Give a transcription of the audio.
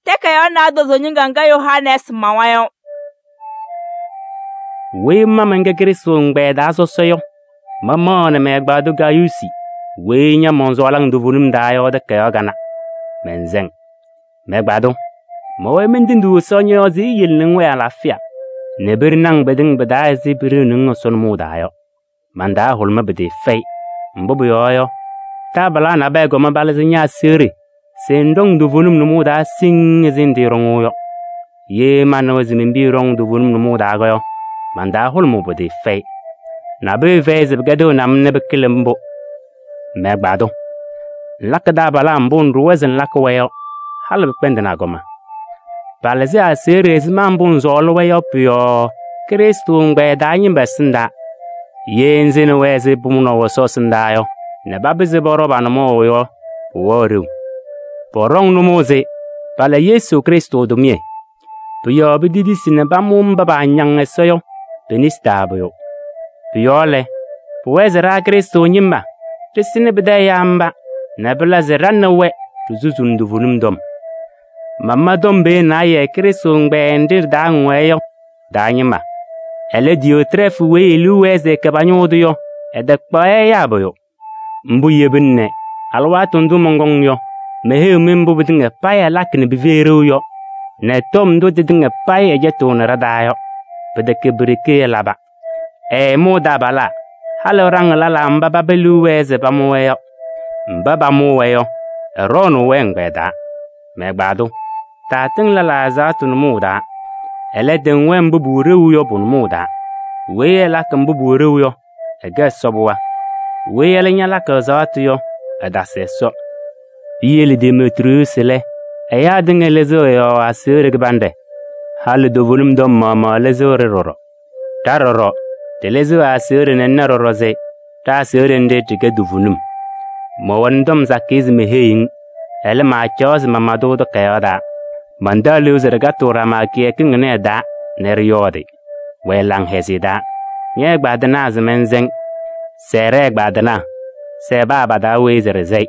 Takayaɣ naadozo ñɩŋga ŋga Yohanɛɛsɩ mawa yɔ. Weyi ma mɛnkɛ Krɩstʋ ɛgbɛyɛ taa sɔsɔ yɔ, mamaɣnɩ mɛ-ɛgbaadʋ Gayuusi weyi ñamaɣ sɔɔlɩŋ toovenim taa yɔ takayaɣ kanɛ. Mɛnsɛŋ. Mɛ-ɛgbaadʋ, mɛwɛɛ mentenduu Ɛsɔ ñɔ-yɔɔ se eyele nɛ ŋwɛɛ alaafɩya nɛ pɩɖɩnɩ-ŋ pɩtɩŋa pɩ-taa ɛzɩ pɩɖɩɣnɩ-ŋ Ɛsɔ nʋmɔʋ taa yɔ. Man-taa hʋlʋmɩ pɩtɩɩfɛyɩ. Mbʋ pʋyɔɔ yɔ, taabalaa nabɛyɛ kɔma palɩzɩ ña-aseɣɖe se ŋɖɔŋ toovenim nʋmɔʋ taa siŋŋ ɛzɩ ŋtɩɩɖɔŋʋʋ yɔ. Ye manɩwa se men-piya ɖɔŋ toovenim nʋmɔʋ taa yɔ, man-taa hʋlʋmʋʋ pɩtɩɩfɛyɩ. Nabʋyʋ fɛyɩ se pɩkɛdɩɣnɩ-m nɛ pɩkɩlɩ mbʋ. Mɛ-ɛgbaadʋ, ŋlakɩ taabalaa mbʋ ŋɖʋwa se ŋlakɩ-wɛ yɔ, halɩ pɩkpɛndɩnɩ agɔma. Palɩzɩ aseɣɖe ɛzɩma mbʋ ŋsɔɔlɩ-wɛ yɔ pʋ-yɔɔ Krɩstʋ ɛgbɛyɛ taa ñɩma ɛsɩndaa. Ye ŋsɩnɩ-wɛ ɛzɩ pʋmʋnaʋ Ɛsɔ ɛsɩndaa yɔ nɛ papɩzɩ pɔɖɔ pa-nʋmɔʋ yɔ, pʋwɛɣ ɖeu. Pɔɖɔŋ nʋmɔʋ se pala Yesu Krɩstʋ tʋmɩyɛ. Pʋ-yɔɔ pitidisi nɛ pamʋ mba paañaŋ Ɛsɔ yɔ pe-nesi taa pʋyʋ. Pʋ-yɔɔ lɛ, pʋwɛɛ se ɖa Krɩstʋ ñɩma ɖɩsɩnɩ pɩtɛ ɛyaa mba nɛ pɩla se ɖa nɛ wɛ ɖisuzuni toovenim tɔm. Mama tɔm pee naayɛ Krɩstʋ ɛgbɛyɛ nɖɩ ɖɩ-taa ŋwɛɛ yɔ taa ñɩma. Ɛlɛ, Diyootrɛɛfɩ weyi e-liu wɛɛ se ɛkɛ pa-ñʋʋ tʋ yɔ, ɛtɛkpaɣ ɛyaa pʋyʋ. Mbʋ yebina nɛ alɩwaatʋ ndʋ mɔnkɔŋ yɔ, meheyiɣ-mɩ mbʋ pɩtɩŋa payɩ ɛlakɩ nɛ pɩfɛyɩ ɖeu yɔ nɛ tɔm ndʋ tɩtɩŋa payɩ ɛcɛtɩɣnɩ ɖa-taa yɔ. Pɩtɛkɛ pi-ɖeke ɛlaba. Ɛɛmʋʋ taabalaa, halɩ ɛɖaŋ lɛlaa mba paba liu wɛɛ se pamʋ-wɛ yɔ. Mba pamʋʋ-wɛ yɔ, ɛɖɔɔnʋʋ-wɛ ɛgbɛyɛ taa. Mɛ-ɛgbaadʋ, taatɩŋ lɛlaa ɛzaɣtʋ nʋmɔʋ taa. Ɛlɛ, tɩŋ-wɛ mbʋ pʋwɛ ɖeu yɔ pʋ-nʋmɔʋ taa. Weyi ɛlakɩ mbʋ pʋwɛ ɖeu yɔ, ɛkɛ Ɛsɔ pɩɣa. Weyi ɛlɛ ñalakɩ ɛzaɣtʋ yɔ, ɛtasɩ Ɛsɔ. Piyele Demetriyuusi lɛ, ɛyaa tɩŋa lɩzɩɣ ɛ-yɔɔ aseɣɖe kɩbanɖɛ. Halɩ toovenim tɔm maɣmaɣ lɩzɩɣ-ɖɩ ɖɔɖɔ. Ɖa ɖɔɖɔ, ɖɩlɩzɩɣ aseɣɖe nɛ ŋna ɖɔɖɔ se ɖa-aseɣɖe nɖɩ ɖɩkɛ toovenim. Mɛwɛnɩ tɔm sakɩyɛ se meheyi-ŋ, ɛlɛ, maacaɣ se mama-tʋ takayaɣ taa. Mantaɣ liu se ɖɩkatɩɣ ɖama kɩyakɩŋ ɩnɛ ɩ-taa nɛ ɖɩyɔɔdɩ. Wɛɛ laŋhɛzɩyɛ taa. Ñɛ-ɛgbaadɩnaa se mɛnsɛŋ. Sɛɛ ɖɛ-ɛgbaadɩnaa, sɛɛ paa pa-taa weyi se ɖɩsɛyɩ.